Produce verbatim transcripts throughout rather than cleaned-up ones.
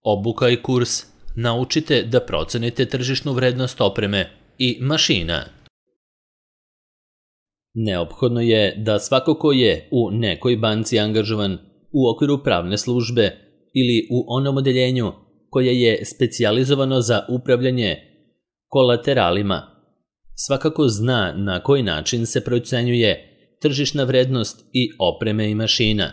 Obuka i kurs Naučite da procenite tržišnu vrednost opreme i mašina. Neophodno je da svako ko je u nekoj banci angažovan u okviru pravne službe ili u onom odeljenju koje je specijalizovano za upravljanje kolateralima, svakako zna na koji način se procenjuje tržišna vrednost i opreme i mašina,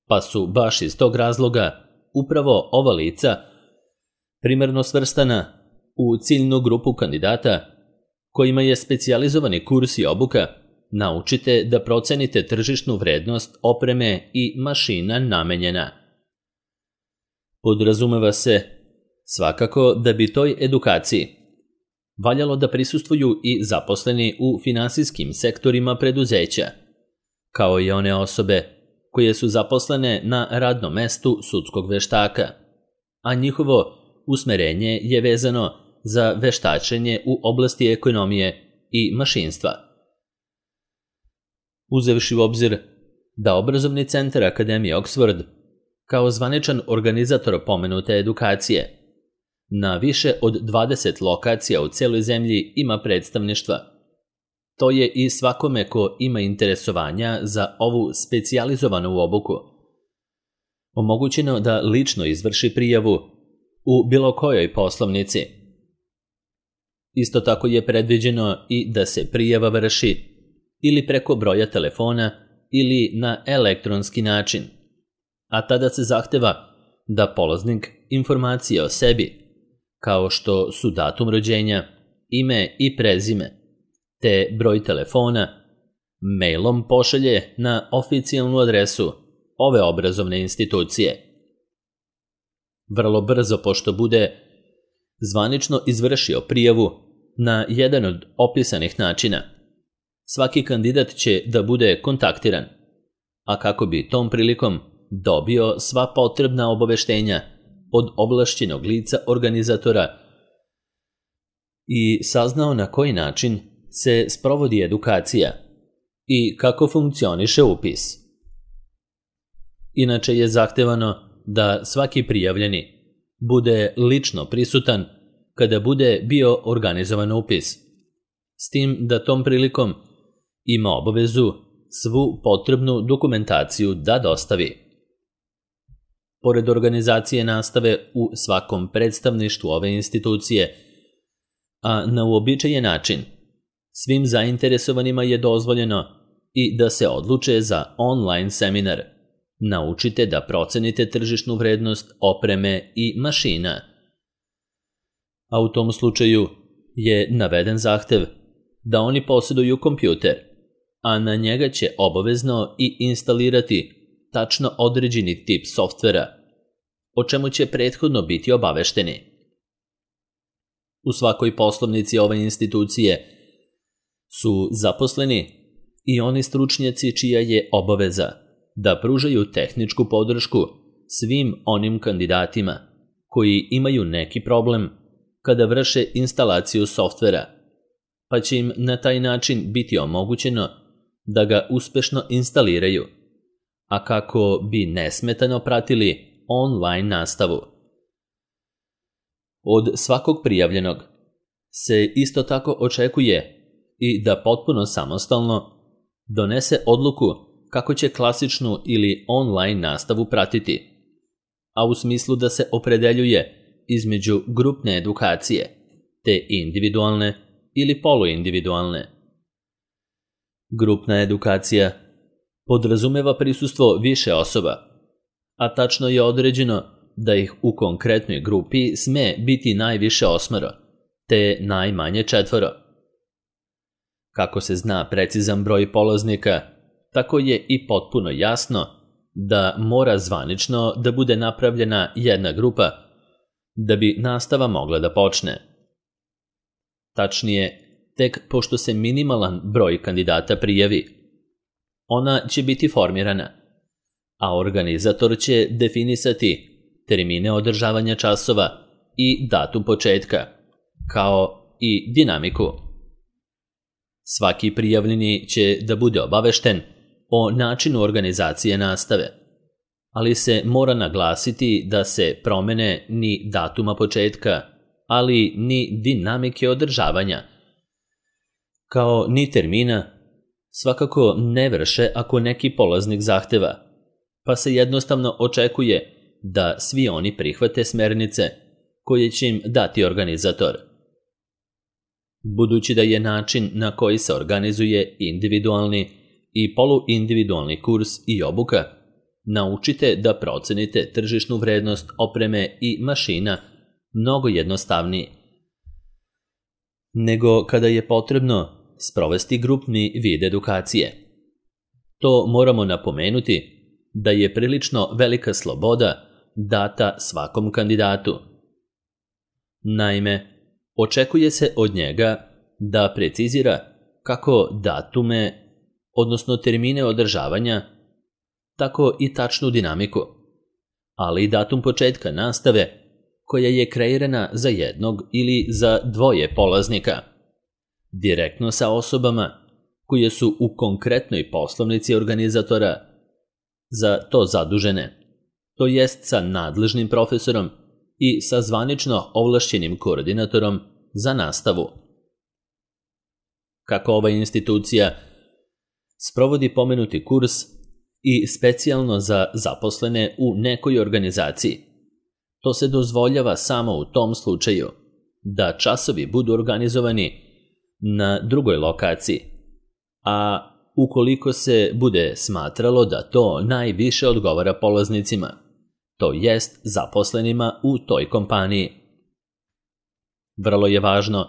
pa su baš iz tog razloga upravo ova lica primarno svrstana u ciljnu grupu kandidata kojima je specijalizovani kurs i obuka Naučite da procenite tržišnu vrednost opreme i mašina namenjena. Podrazumeva se svakako da bi toj edukaciji valjalo da prisustvuju i zaposleni u finansijskim sektorima preduzeća, kao i one osobe koje su zaposlene na radnom mestu sudskog veštaka, a njihovo usmerenje je vezano za veštačenje u oblasti ekonomije i mašinstva. Uzevši u obzir da Obrazovni centar Akademije Oxford, kao zvaničan organizator pomenute edukacije, na više od dvadeset lokacija u celoj zemlji ima predstavništva, to je i svakome ko ima interesovanja za ovu specijalizovanu obuku omogućeno da lično izvrši prijavu u bilo kojoj poslovnici. Isto tako je predviđeno i da se prijava vrši ili preko broja telefona ili na elektronski način, a tada se zahteva da polaznik informacije o sebi, kao što su datum rođenja, ime i prezime, te broj telefona, mailom pošalje na oficijalnu adresu ove obrazovne institucije. Vrlo brzo, pošto bude zvanično izvršio prijavu na jedan od opisanih načina, svaki kandidat će da bude kontaktiran, a kako bi tom prilikom dobio sva potrebna obaveštenja od ovlašćenog lica organizatora i saznao na koji način se sprovodi edukacija i kako funkcioniše upis. Inače je zahtevano da svaki prijavljeni bude lično prisutan kada bude bio organizovan upis, s tim da tom prilikom ima obavezu svu potrebnu dokumentaciju da dostavi. Pored organizacije nastave u svakom predstavništvu ove institucije, a na uobičajen način, svim zainteresovanima je dozvoljeno i da se odluče za online seminar Naučite da procenite tržišnu vrednost opreme i mašina. A u tom slučaju je naveden zahtev da oni posjeduju kompjuter, a na njega će obavezno i instalirati tačno određeni tip softvera, o čemu će prethodno biti obavešteni. U svakoj poslovnici ove institucije su zaposleni i oni stručnjaci čija je obaveza da pružaju tehničku podršku svim onim kandidatima koji imaju neki problem kada vrše instalaciju softvera, pa će im na taj način biti omogućeno da ga uspešno instaliraju, a kako bi nesmetano pratili online nastavu. Od svakog prijavljenog se isto tako očekuje i da potpuno samostalno donese odluku kako će klasičnu ili online nastavu pratiti, a u smislu da se opredeljuje između grupne edukacije te individualne ili poluindividualne. Grupna edukacija podrazumeva prisustvo više osoba, a tačno je određeno da ih u konkretnoj grupi sme biti najviše osmoro, te najmanje četvoro. Kako se zna precizan broj polaznika, tako je i potpuno jasno da mora zvanično da bude napravljena jedna grupa da bi nastava mogla da počne. Tačnije, tek pošto se minimalan broj kandidata prijavi, ona će biti formirana, a organizator će definisati termine održavanja časova i datum početka, kao i dinamiku. Svaki prijavljeni će da bude obavešten o načinu organizacije nastave, ali se mora naglasiti da se promene ni datuma početka, ali ni dinamike održavanja, kao ni termina, svakako ne vrše ako neki polaznik zahteva, pa se jednostavno očekuje da svi oni prihvate smernice koje će im dati organizator. Budući da je način na koji se organizuje individualni i poluindividualni kurs i obuka, naučite da procenite tržišnu vrednost opreme i mašina mnogo jednostavniji nego kada je potrebno sprovesti grupni vid edukacije. To moramo napomenuti da je prilično velika sloboda data svakom kandidatu. Naime, očekuje se od njega da precizira kako datume, odnosno termine održavanja, tako i tačnu dinamiku, ali i datum početka nastave koja je kreirana za jednog ili za dvoje polaznika, direktno sa osobama koje su u konkretnoj poslovnici organizatora za to zadužene, to jest sa nadležnim profesorom i sa zvanično ovlašćenim koordinatorom za nastavu. Kako ova institucija sprovodi pomenuti kurs i specijalno za zaposlene u nekoj organizaciji, to se dozvoljava samo u tom slučaju da časovi budu organizovani na drugoj lokaciji, a ukoliko se bude smatralo da to najviše odgovara polaznicima, to jest zaposlenima u toj kompaniji. Vrlo je važno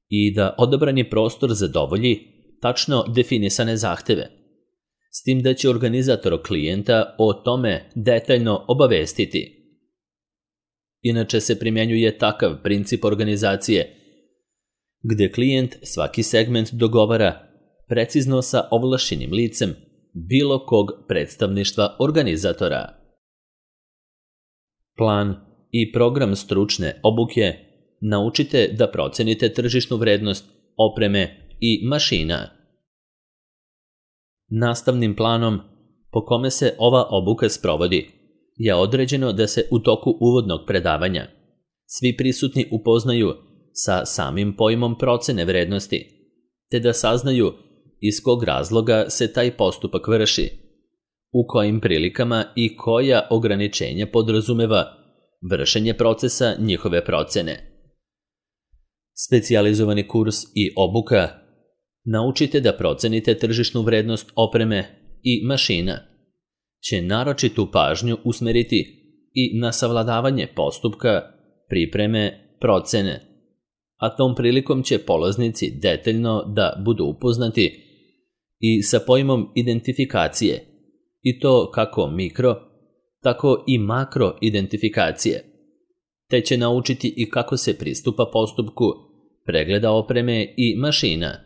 i da odabrani prostor zadovolji tačno definisane zahteve, s tim da će organizator klijenta o tome detaljno obavestiti. Inače se primjenjuje takav princip organizacije, gde klijent svaki segment dogovara precizno sa ovlašćenim licem bilo kog predstavništva organizatora. Plan i program stručne obuke naučite da procenite tržišnu vrednost opreme i mašina. Nastavnim planom po kome se ova obuka sprovodi je određeno da se u toku uvodnog predavanja svi prisutni upoznaju sa samim pojmom procene vrednosti, te da saznaju iz kog razloga se taj postupak vrši, u kojim prilikama i koja ograničenja podrazumeva vršenje procesa njihove procene. Specijalizovani kurs i obuka naučite da procenite tržišnu vrednost opreme i mašina će naročitu pažnju usmeriti i na savladavanje postupka, pripreme, procene, a tom prilikom će polaznici detaljno da budu upoznati i sa pojmom identifikacije, i to kako mikro, tako i makro identifikacije, te će naučiti i kako se pristupa postupku pregleda opreme i mašina.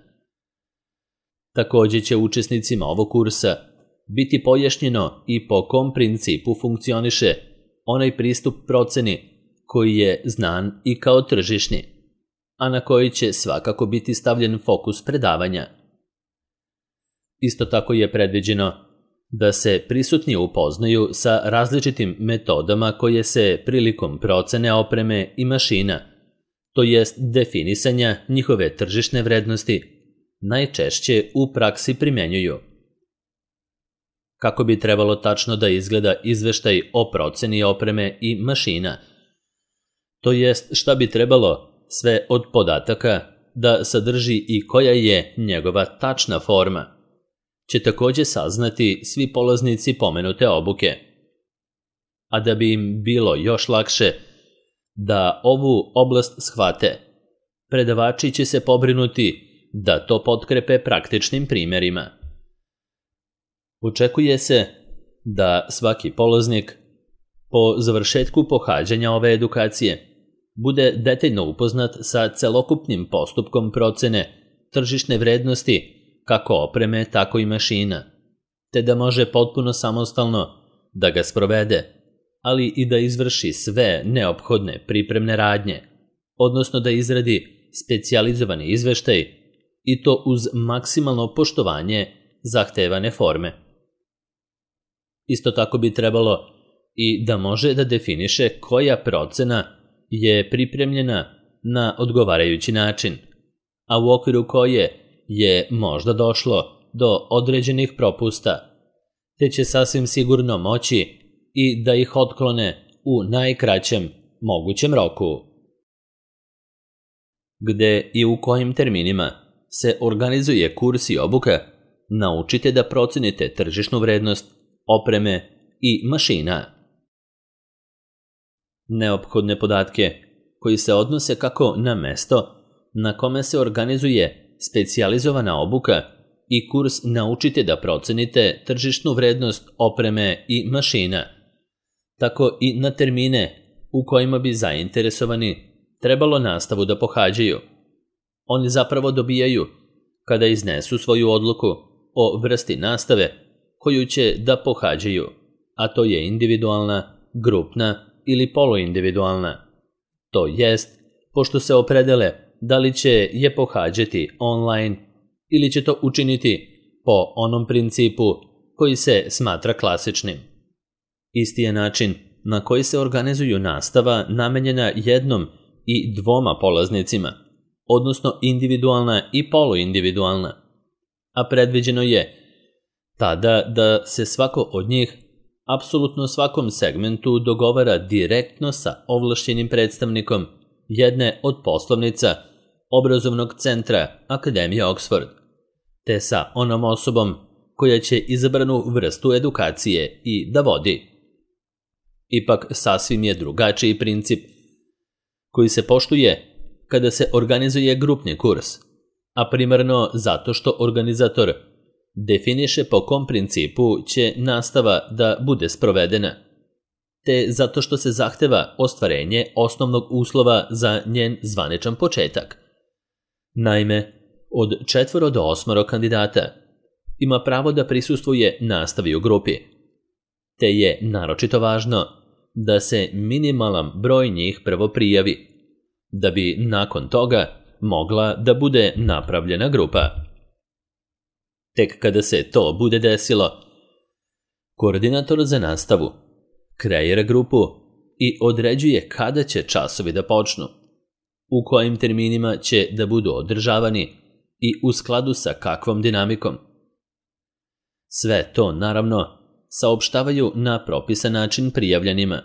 Također će učesnicima ovog kursa biti pojašnjeno i po kom principu funkcioniše onaj pristup proceni koji je znan i kao tržišni, a na koji će svakako biti stavljen fokus predavanja. Isto tako je predviđeno da se prisutni upoznaju sa različitim metodama koje se prilikom procene opreme i mašina, to jest definisanja njihove tržišne vrednosti, najčešće u praksi primjenjuju. Kako bi trebalo tačno da izgleda izveštaj o proceni opreme i mašina, to jest šta bi trebalo sve od podataka da sadrži i koja je njegova tačna forma, će također saznati svi polaznici pomenute obuke. A da bi im bilo još lakše da ovu oblast shvate, predavači će se pobrinuti da to potkrepe praktičnim primjerima. Očekuje se da svaki polaznik po završetku pohađanja ove edukacije bude detaljno upoznat sa celokupnim postupkom procene tržišne vrednosti kako opreme, tako i mašina, te da može potpuno samostalno da ga sprovede, ali i da izvrši sve neophodne pripremne radnje, odnosno da izradi specijalizovani izveštaj i to uz maksimalno poštovanje zahtevane forme. Isto tako bi trebalo i da može da definiše koja procena je pripremljena na odgovarajući način, a u okviru koje je možda došlo do određenih propusta, te će sasvim sigurno moći i da ih otklone u najkraćem mogućem roku. Gde i u kojim terminima se organizuje kurs i obuka, naučite da procenite tržišnu vrednost opreme i mašina. Neophodne podatke koji se odnose kako na mesto na kome se organizuje specijalizovana obuka i kurs naučite da procenite tržišnu vrednost opreme i mašina, tako i na termine u kojima bi zainteresovani trebalo nastavu da pohađaju. Oni zapravo dobijaju kada iznesu svoju odluku o vrsti nastave koju će da pohađaju, a to je individualna, grupna ili poluindividualna. To jest, pošto se opredele da li će je pohađati online ili će to učiniti po onom principu koji se smatra klasičnim. Isti je način na koji se organizuju nastava namenjena jednom i dvoma polaznicima, odnosno individualna i poluindividualna, a predviđeno je tada da se svako od njih apsolutno svakom segmentu dogovara direktno sa ovlašćenim predstavnikom jedne od poslovnica obrazovnog centra Akademije Oxford, te sa onom osobom koja će izabranu vrstu edukacije i da vodi. Ipak sasvim je drugačiji princip koji se poštuje kada se organizuje grupni kurs, a primarno zato što organizator definiše po kom principu će nastava da bude sprovedena, te zato što se zahteva ostvarenje osnovnog uslova za njen zvaničan početak. Naime, od četvoro do osmoro kandidata ima pravo da prisustvuje nastavi u grupi, te je naročito važno da se minimalan broj njih prvo prijavi, da bi nakon toga mogla da bude napravljena grupa. Tek kada se to bude desilo, koordinator za nastavu kreira grupu i određuje kada će časovi da počnu, u kojim terminima će da budu održavani i u skladu sa kakvom dinamikom. Sve to, naravno, saopštavaju na propisan način prijavljenima,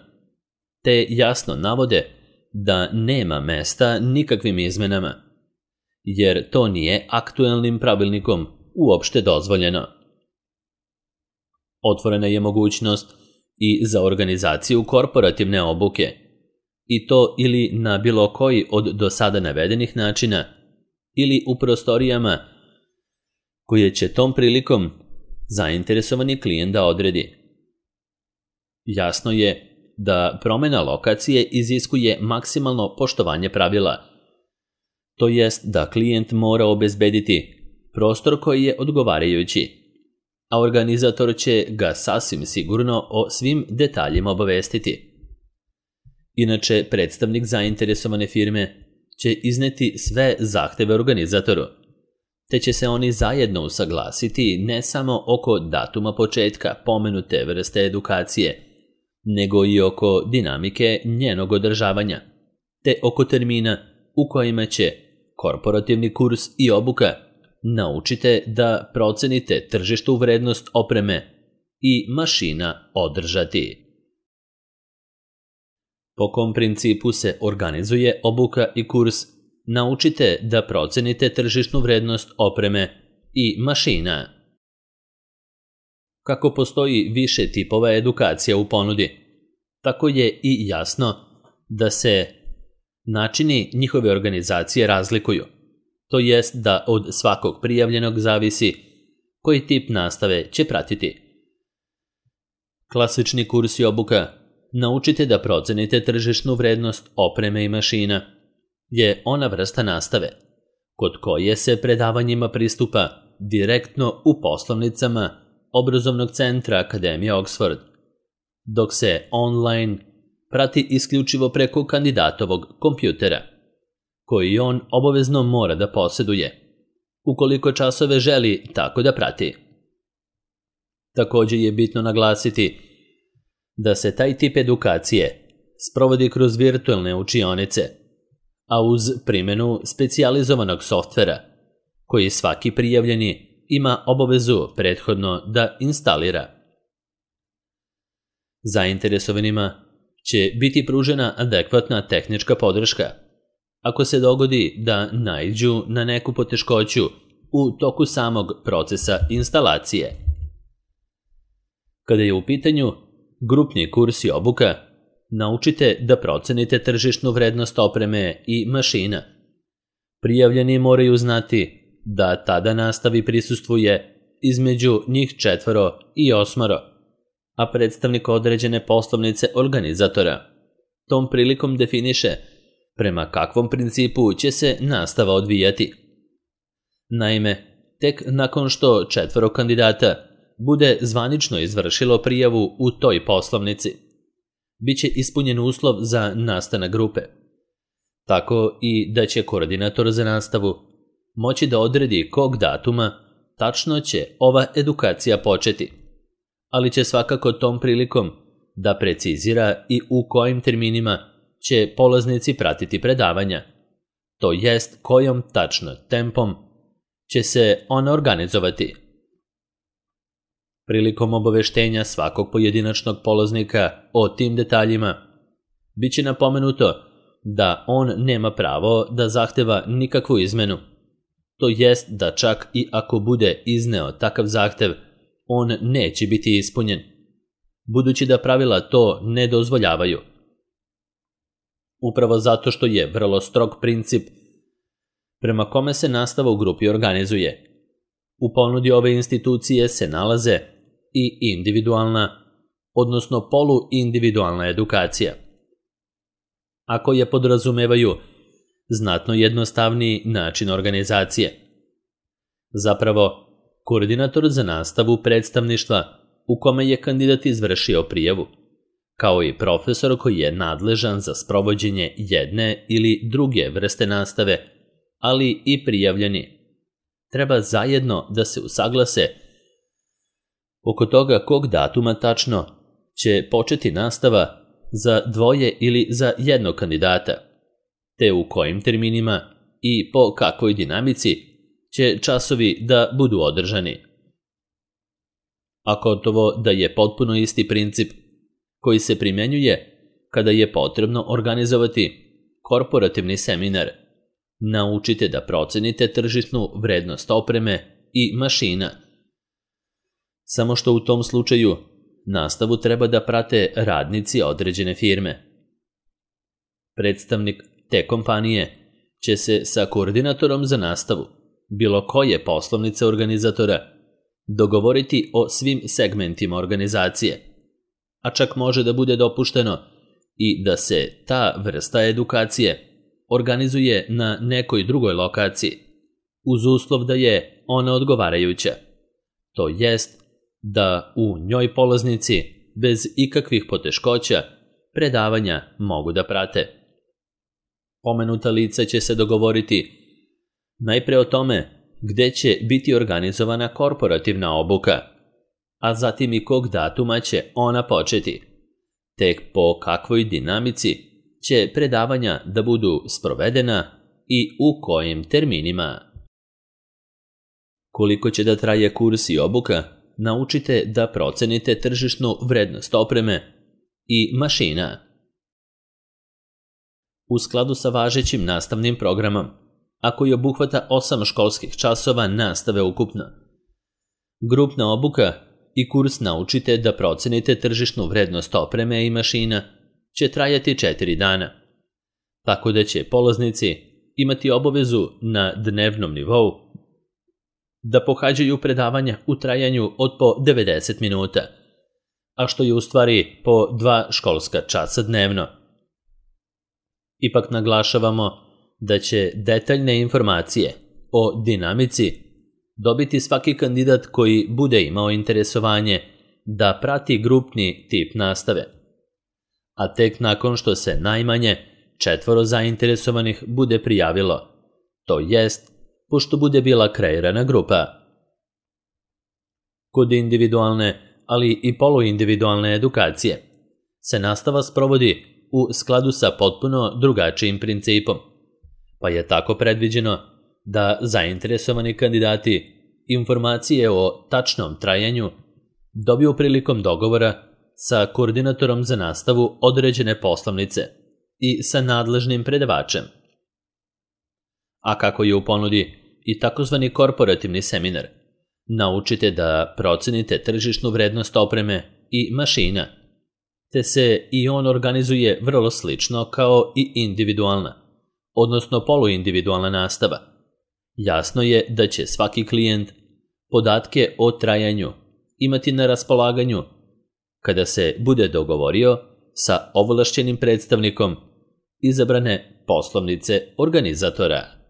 te jasno navode da nema mesta nikakvim izmenama, jer to nije aktuelnim pravilnikom uopšte dozvoljeno. Otvorena je mogućnost i za organizaciju korporativne obuke, i to ili na bilo koji od do sada navedenih načina, ili u prostorijama koje će tom prilikom zainteresovani klijent da odredi. Jasno je da promena lokacije iziskuje maksimalno poštovanje pravila, to jest da klijent mora obezbediti prostor koji je odgovarajući, a organizator će ga sasvim sigurno o svim detaljima obavestiti. Inače, predstavnik zainteresovane firme će izneti sve zahteve organizatoru, te će se oni zajedno usaglasiti ne samo oko datuma početka pomenute vrste edukacije, nego i oko dinamike njenog održavanja, te oko termina u kojima će korporativni kurs i obuka naučite da procenite tržištu vrednost opreme i mašina održati. Po kom principu se organizuje obuka i kurs, naučite da procenite tržišnu vrednost opreme i mašina. Kako postoji više tipova edukacija u ponudi, tako je i jasno da se načini njihove organizacije razlikuju, to jest da od svakog prijavljenog zavisi koji tip nastave će pratiti. Klasični kurs i obuka naučite da procenite tržišnu vrednost opreme i mašina je ona vrsta nastave kod koje se predavanjima pristupa direktno u poslovnicama obrazovnog centra Akademije Oxford, dok se online prati isključivo preko kandidatovog kompjutera, koji on obavezno mora da poseduje, ukoliko časove želi tako da prati. Također je bitno naglasiti da se taj tip edukacije sprovodi kroz virtualne učionice, a uz primjenu specijalizovanog softvera koji svaki prijavljeni ima obavezu prethodno da instalira. Zainteresovanima će biti pružena adekvatna tehnička podrška ako se dogodi da naiđu na neku poteškoću u toku samog procesa instalacije. Kada je u pitanju grupni kurs i obuka, naučite da procenite tržišnu vrednost opreme i mašina. Prijavljeni moraju znati da tada nastavi prisustvuje između njih četvoro i osmoro, a predstavnik određene poslovnice organizatora tom prilikom definiše prema kakvom principu će se nastava odvijati. Naime, tek nakon što četvoro kandidata bude zvanično izvršilo prijavu u toj poslovnici, bit će ispunjen uslov za nastanak grupe. Tako i da će koordinator za nastavu moći da odredi kog datuma tačno će ova edukacija početi, ali će svakako tom prilikom da precizira i u kojim terminima će polaznici pratiti predavanja, to jest kojom tačno tempom će se ona organizovati. Prilikom obaveštenja svakog pojedinačnog polaznika o tim detaljima, bit će napomenuto da on nema pravo da zahteva nikakvu izmenu, to jest da čak i ako bude izneo takav zahtev, on neće biti ispunjen, budući da pravila to ne dozvoljavaju. Upravo zato što je vrlo strog princip prema kome se nastava u grupi organizuje. U ponudi ove institucije se nalaze i individualna, odnosno poluindividualna edukacija, a koje podrazumevaju znatno jednostavniji način organizacije. Zapravo, koordinator za nastavu predstavništva u kome je kandidat izvršio prijavu, kao i profesor koji je nadležan za sprovođenje jedne ili druge vrste nastave, ali i prijavljeni, treba zajedno da se usaglase oko toga kog datuma tačno će početi nastava za dvoje ili za jednog kandidata, te u kojim terminima i po kakvoj dinamici će časovi da budu održani. A gotovo da je potpuno isti princip koji se primjenjuje kada je potrebno organizovati korporativni seminar. Naučite da procenite tržišnu vrednost opreme i mašina. Samo što u tom slučaju nastavu treba da prate radnici određene firme. Predstavnik te kompanije će se sa koordinatorom za nastavu bilo koje poslovnice organizatora dogovoriti o svim segmentima organizacije, a čak može da bude dopušteno i da se ta vrsta edukacije organizuje na nekoj drugoj lokaciji, uz uslov da je ona odgovarajuća, to jest da u njoj polaznici bez ikakvih poteškoća predavanja mogu da prate. Pomenuta lica će se dogovoriti najpre o tome gde će biti organizovana korporativna obuka, a zatim i kog datuma će ona početi, tek po kakvoj dinamici će predavanja da budu sprovedena i u kojim terminima. Koliko će da traje kurs i obuka, naučite da procenite tržišnu vrednost opreme i mašina. U skladu sa važećim nastavnim programom, a koji obuhvata osam školskih časova nastave ukupno, grupna obuka i kurs naučite da procenite tržišnu vrednost opreme i mašina će trajati četiri dana, tako da će polaznici imati obavezu na dnevnom nivou da pohađaju predavanja u trajanju od po devedeset minuta, a što je u stvari po dva školska časa dnevno. Ipak naglašavamo da će detaljne informacije o dinamici dobiti svaki kandidat koji bude imao interesovanje da prati grupni tip nastave, a tek nakon što se najmanje četvoro zainteresovanih bude prijavilo, to jest pošto bude bila kreirana grupa. Kod individualne, ali i poluindividualne edukacije se nastava sprovodi u skladu sa potpuno drugačijim principom, pa je tako predviđeno da zainteresovani kandidati informacije o tačnom trajanju dobiju prilikom dogovora sa koordinatorom za nastavu određene poslovnice i sa nadležnim predavačem. A kako je u ponudi i takozvani korporativni seminar, naučite da procenite tržišnu vrednost opreme i mašina, te se i on organizuje vrlo slično kao i individualna, odnosno poluindividualna nastava. Jasno je da će svaki klijent podatke o trajanju imati na raspolaganju kada se bude dogovorio sa ovlašćenim predstavnikom izabrane poslovnice organizatora.